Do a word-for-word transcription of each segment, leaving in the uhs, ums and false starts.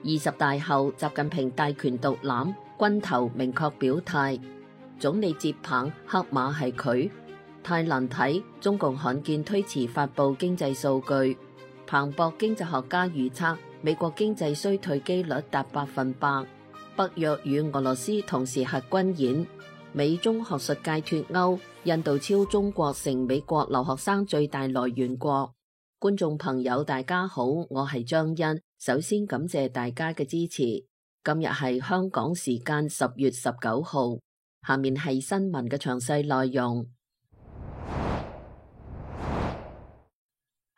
二十大後，習近平大權獨攬，軍頭明確表態，總理接棒，黑馬係佢。太難睇，中共罕見推遲發佈經濟數據。彭博經濟學家預測，美國經濟衰退機率達百分百。北約與俄羅斯同時核軍演。美中學術界脫鈎，印度超中國成美國留學生最大來源國。觀眾朋友大家好，我係張欣，首先感謝大家嘅支持。今日係香港時間十月十九號，下面係新聞嘅詳細內容。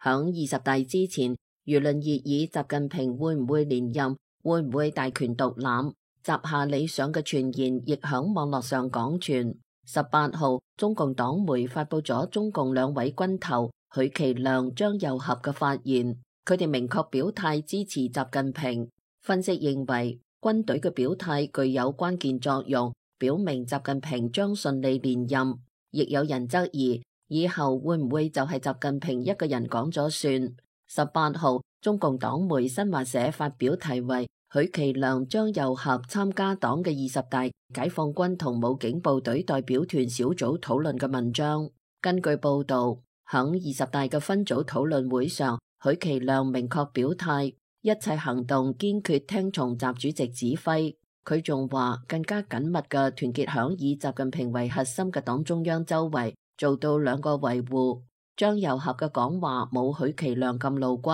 響二十大之前，輿論熱議習近平會唔會連任，會唔會大權獨攬，習下理想嘅傳言亦響網絡上廣傳。十八號，中共黨媒發佈咗中共兩位軍頭許其亮、張又俠嘅發言，佢哋明確表態支持習近平。分析認為，軍隊嘅表態具有關鍵作用，表明習近平將順利連任。亦有人質疑，以後會唔會就係習近平一個人講咗算？十八號，中共黨媒新華社發表題為許其亮、張又俠參加黨嘅二十大解放軍同武警部隊代表團小組討論嘅文章。根據報道，響二十大嘅分組討論會上，許其亮明確表態，一切行動堅決聽從習主席指揮。佢仲話更加緊密嘅團結響以習近平為核心嘅黨中央周圍，做到兩個維護。張又俠嘅講話冇許其亮咁露骨，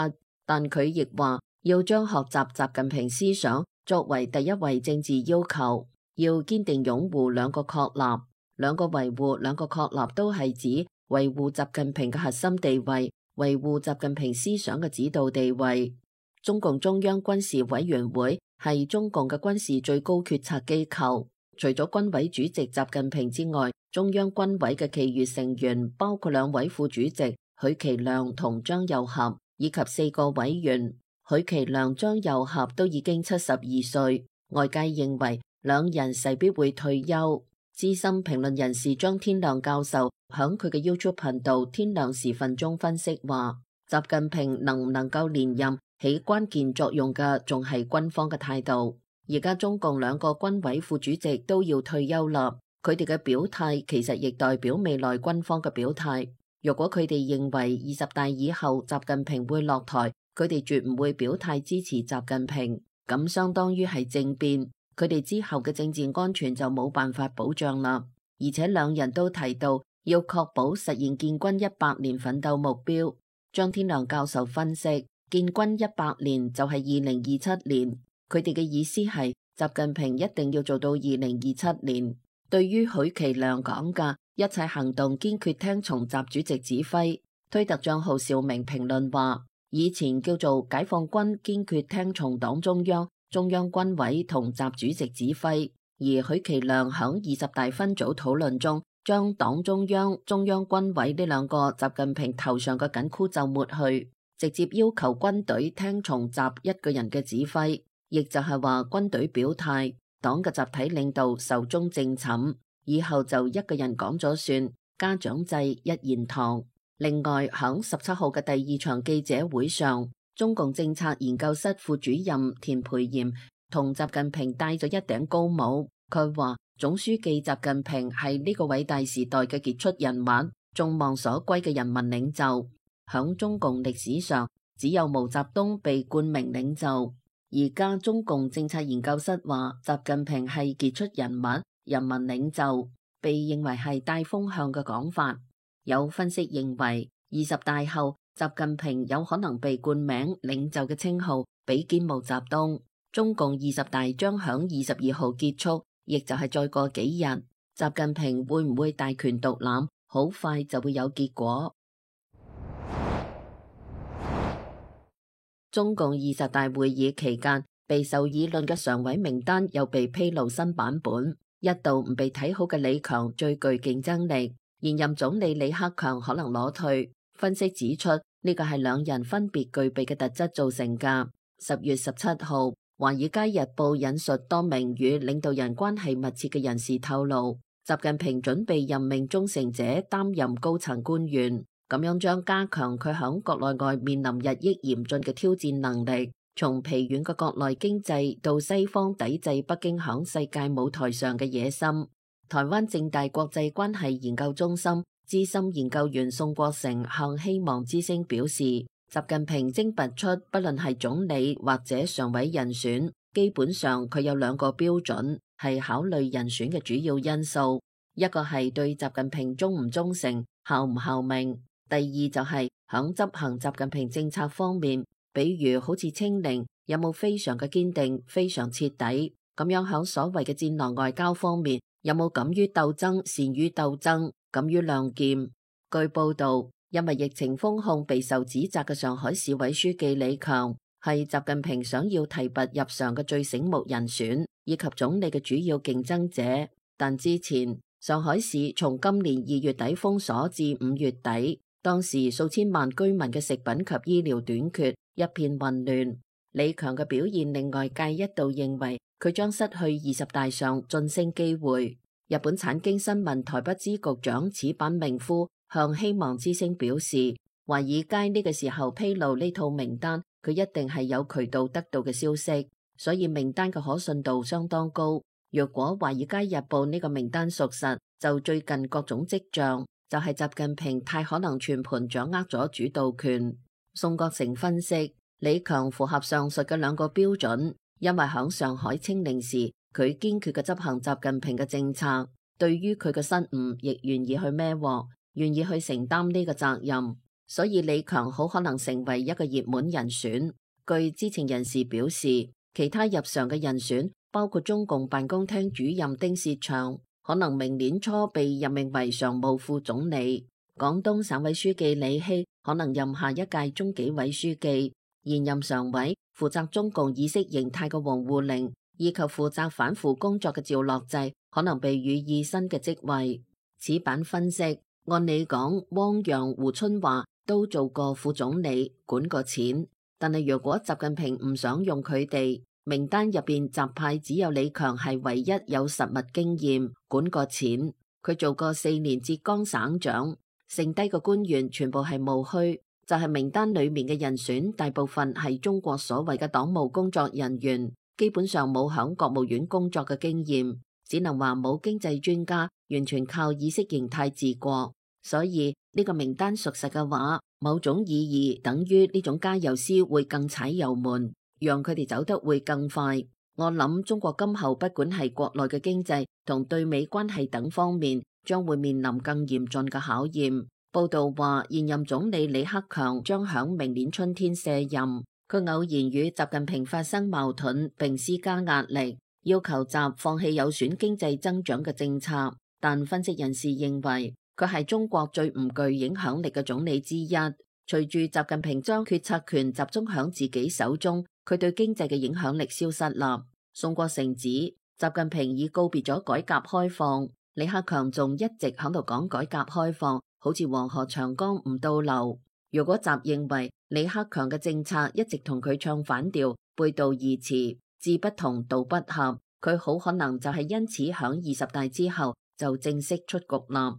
但佢亦話要將學習習近平思想作為第一位政治要求，要堅定擁護兩個確立。兩個維護、兩個確立都係指維護習近平嘅核心地位，維護習近平思想嘅指導地位。中共中央軍事委員會係中共嘅軍事最高決策機構，除咗軍委主席習近平之外，中央軍委嘅其餘成員包括兩位副主席許其亮同張又俠，以及四個委員。許其亮、張又俠都已經七十二歲，外界認為兩人勢必會退休。資深評論人士張天亮教授響佢嘅 YouTube 頻道天亮時分中分析話，習近平能唔能夠連任，起關鍵作用嘅仲係軍方嘅態度。而家中共兩個軍委副主席都要退休啦，佢哋嘅表態其實亦代表未來軍方嘅表態。如果佢哋認為二十大以後習近平會落台，佢哋絕唔會表態支持習近平，咁相當於係政變，佢哋之後嘅政治安全就冇辦法保障啦。而且兩人都提到要確保實現建軍一百年奮鬥目標。張天亮教授分析，建軍一百年就係二零二七年，佢哋嘅意思係習近平一定要做到二零二七年。對於許其亮講嘅一切行動堅決聽從習主席指揮，推特賬號邵明評論話，以前叫做解放軍堅決聽從黨中央、中央軍委同習主席指揮，而許其亮響二十大分組討論中，將黨中央、中央軍委呢兩個習近平頭上嘅緊箍咒抹去，直接要求軍隊聽從習一個人嘅指揮，亦就係話軍隊表態，黨嘅集體領導壽終正寢，以後就一個人講咗算，家長制一言堂。另外，響十七號嘅第二場記者會上，中共政策研究室副主任田培炎同習近平戴咗一頂高帽。佢話總書記習近平係呢個偉大時代嘅傑出人物，眾望所歸嘅人民領袖。響中共歷史上，只有毛澤東被冠名領袖。而家中共政策研究室話習近平係傑出人物、人民領袖，被認為係帶風向嘅講法。有分析認為，二十大後習近平有可能被冠名領袖嘅稱號，比肩毛澤東。中共二十大將響二十二號結束，亦就係再過幾日，習近平會唔會大權獨攬，好快就會有結果。中共二十大會議期間，備受議論嘅常委名單又被披露新版本，一度唔被睇好嘅李強最具競爭力。現任總理李克強可能攞退，分析指出呢個係兩人分別具備嘅特質造成㗎。十月十七號，《華爾街日報》引述多名與領導人關係密切嘅人士透露，習近平準備任命忠誠者擔任高層官員，咁樣將加強佢響國內外面臨日益嚴峻嘅挑戰能力。從疲軟嘅國內經濟到西方抵制北京響世界舞台上嘅野心。台灣政大國際關係研究中心資深研究員宋國成向希望之聲表示，習近平徵拔出不論係總理或者常委人選，基本上佢有兩個標準係考慮人選嘅主要因素，一個係對習近平忠唔忠誠、效唔效命；第二就係響執行習近平政策方面，比如好似清零，有冇非常嘅堅定、非常徹底，咁樣響所謂嘅戰狼外交方面，有冇敢於鬥爭、善於鬥爭、敢於亮劍。據報道，因為疫情封控備受指責嘅上海市委書記李強係習近平想要提拔入常嘅最醒目人選，以及總理嘅主要競爭者。但之前上海市從今年二月底封鎖至五月底，當時數千萬居民嘅食品及醫療短缺，一片混亂。李強嘅表現令外界一度認為佢將失去二十大上晉升機會。日本產經新聞台北支局長矢板明夫向希望之聲表示，華爾街呢個時候披露呢套名單，佢一定係有渠道得到嘅消息，所以名單嘅可信度相當高。若果華爾街日報呢個名單屬實，就最近各種跡象，就係習近平太可能全盤掌握咗主導權。宋國成分析，李強符合上述嘅兩個標準，因為響上海清零時，佢堅決嘅執行習近平嘅政策，對於佢嘅失誤亦願意去孭鑊，願意去承擔呢個責任，所以李強好可能成為一個熱門人選。據知情人士表示，其他入常嘅人選包括中共辦公廳主任丁薛祥，可能明年初被任命為常務副總理。廣東省委書記李希可能任下一屆中紀委書記。現任常委負責中共意識形態嘅王滬寧，以及負責反腐工作嘅趙樂際可能被予以新嘅職位。此版分析，按理講，汪洋、胡春華都做過副總理，管過錢，但係如果習近平唔想用佢哋，名單入邊習派只有李強係唯一有實務經驗，管過錢。佢做過四年浙江省長，剩低嘅官員全部係務虛。就係名單裏面嘅人選，大部分係中國所謂嘅黨務工作人員，基本上冇響國務院工作嘅經驗，只能話冇經濟專家，完全靠意識形態治國。所以呢個名單屬實嘅話，某種意義等於呢種加油絲會更踩油門，讓佢哋走得會更快。我諗中國今後不管係國內嘅經濟同對美關係等方面，將會面臨更嚴峻嘅考驗。報道話，現任總理李克強將響明年春天卸任。佢偶然與習近平發生矛盾，並施加壓力，要求習放棄有損經濟增長嘅政策。但分析人士認為，佢係中國最唔具影響力嘅總理之一。隨住習近平將決策權集中響自己手中，佢對經濟嘅影響力消失啦。宋國成指，習近平已告別咗改革開放，李克強仲一直喺度講改革開放，好似黃河長江唔倒流。如果習認為李克強嘅政策一直同佢唱反調，背道而馳，志不同道不合，佢好可能就係因此響二十大之後就正式出局啦。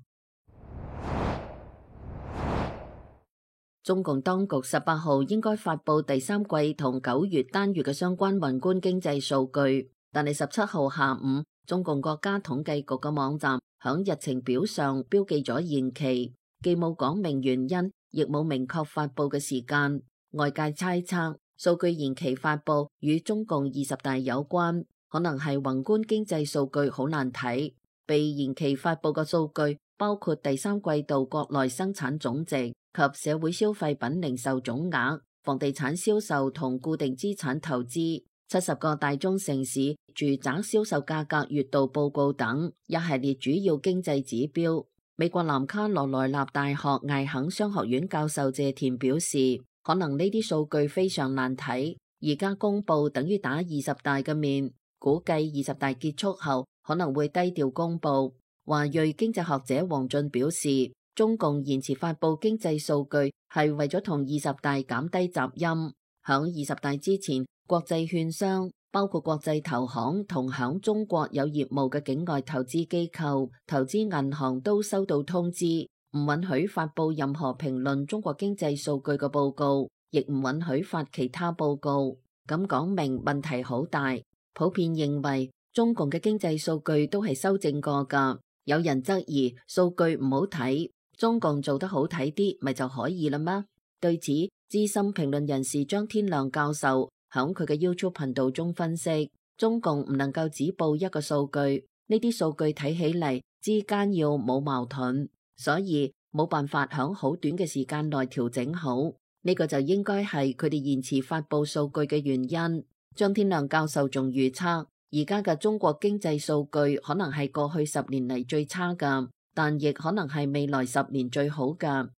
中共當局十八號應該發佈第三季同九月單月嘅相關宏觀經濟數據，但係十七號下午，中共國家統計局嘅網站響日程表上標記咗延期，既冇講明原因，亦冇明確發佈嘅時間。外界猜測，數據延期發佈與中共二十大有關，可能係宏觀經濟數據好難睇。被延期發佈嘅數據包括第三季度國內生產總值及社會消費品零售總額、房地產銷售同固定資產投資、七十個大中城市住宅銷售價格月度報告等一系列主要經濟指標。美國南卡羅來納大學艾肯商學院教授謝田表示，可能呢啲數據非常難睇，而家公佈等於打二十大嘅面，估計二十大結束後可能會低調公佈。華裔經濟學者王俊表示，中共延遲發佈經濟數據係為咗同二十大減低雜音。響二十大之前，國際券商包括國際投行同響中國有業務嘅境外投資機構、投資銀行都收到通知，唔允許發佈任何評論中國經濟數據嘅報告，亦唔允許發其他報告。咁講明問題好大。普遍認為中共嘅經濟數據都係修正過㗎。有人質疑數據唔好睇，中共做得好睇啲，咪就可以啦咩？對此，資深評論人士張天亮教授響佢嘅 YouTube 頻道中分析，中共唔能夠只報一個數據，呢啲數據睇起嚟之間要冇矛盾，所以冇辦法響好短嘅時間內調整好。呢個就應該係佢哋延遲發佈數據嘅原因。張天亮教授仲預測，而家嘅中國經濟數據可能係過去十年嚟最差㗎，但亦可能係未來十年最好㗎。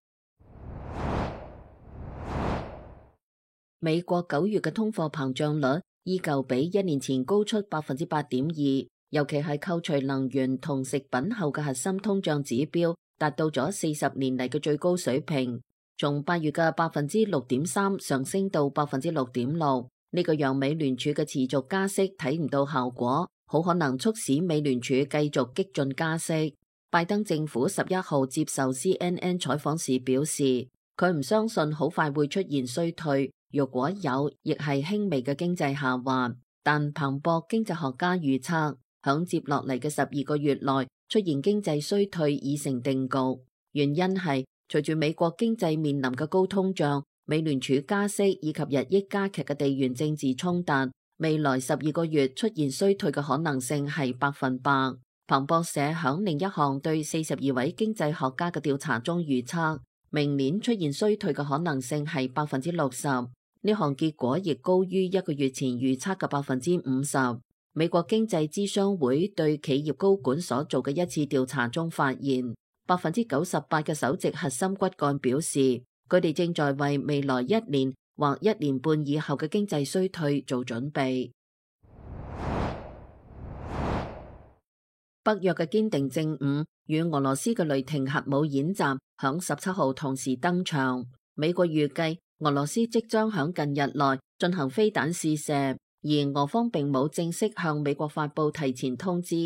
美國九月嘅通貨膨脹率依舊比一年前高出百分之八點二，尤其係扣除能源同食品後嘅核心通脹指標達到咗四十年嚟嘅最高水平，從八月嘅百分之六點三上升到百分之六點六。呢個讓美聯儲嘅持續加息睇唔到效果，好可能促使美聯儲繼續激進加息。拜登政府十一號接受 C N N 採訪時表示，佢唔相信好快會出現衰退，若果有，亦係輕微嘅經濟下滑。但彭博經濟學家預測，響接落嚟嘅十二個月內出現經濟衰退已成定局。原因係隨住美國經濟面臨嘅高通脹、美聯儲加息以及日益加劇嘅地緣政治衝突，未來十二個月出現衰退嘅可能性係百分百。彭博社響另一項對四十二位經濟學家嘅調查中預測，明年出現衰退嘅可能性係百分之六十。呢項結果亦高於一個月前預測嘅百分之五十。美國經濟諮商會對企業高管所做嘅一次調查中發現，百分之九十八嘅首席核心骨幹表示，佢哋正在為未來一年或一年半以後嘅經濟衰退做準備。北約嘅堅定正午與俄羅斯嘅雷霆核武演習響十七號同時登場。美國預計俄羅斯即將響近日內進行飛彈試射，而俄方並冇正式向美國發布提前通知。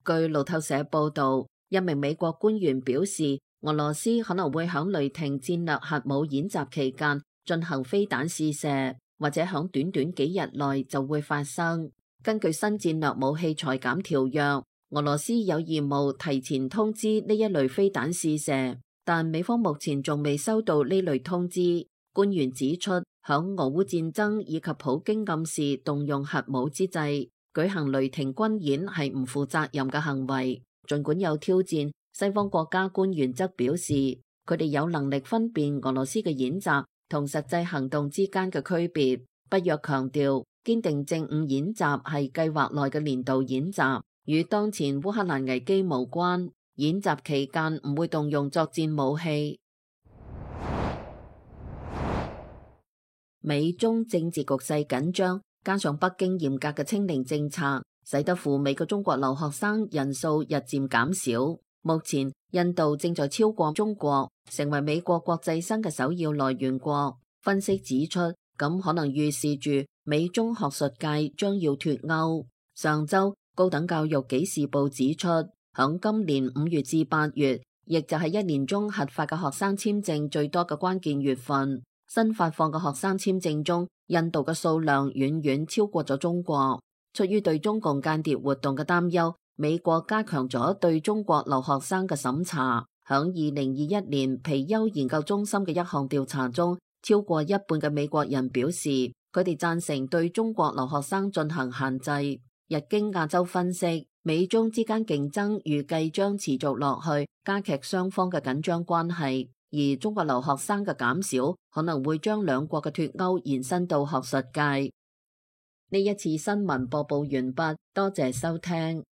據路透社報道，一名美國官員表示，俄羅斯可能會響雷霆戰略核武演習期間進行飛彈試射，或者響短短幾日內就會發生。根據新戰略武器裁減條約，俄羅斯有義務提前通知呢一類飛彈試射，但美方目前仲未收到呢類通知。官員指出，響俄烏戰爭以及普京暗示動用核武之際，舉行雷霆軍演係唔負責任嘅行為。儘管有挑戰，西方國家官員則表示，佢哋有能力分辨俄羅斯嘅演習同實際行動之間嘅區別。北約強調，堅定正午演習係計劃內嘅年度演習，與當前烏克蘭危機無關。演習期間唔會動用作戰武器。美中政治局勢緊張，加上北京嚴格嘅清零政策，使得赴美嘅中國留學生人數日漸減少。目前，印度正在超過中國，成為美國國際生嘅首要來源國。分析指出，咁可能預示住美中學術界將要脫鈎。上週，高等教育紀事報指出，響今年五月至八月，亦就係一年中核發嘅學生簽證最多嘅關鍵月份。新發放嘅學生簽證中，印度嘅數量遠遠超過咗中國。出於對中共間諜活動嘅擔憂，美國加強咗對中國留學生嘅審查。響二零二一年皮尤研究中心嘅一項調查中，超過一半嘅美國人表示，佢哋贊成對中國留學生進行限制。日經亞洲分析，美中之間競爭預計將持續落去，加劇雙方嘅緊張關係。而中國留學生嘅減少，可能會將兩國嘅脫鈎延伸到學術界。呢一次新聞播報完畢，多謝收聽。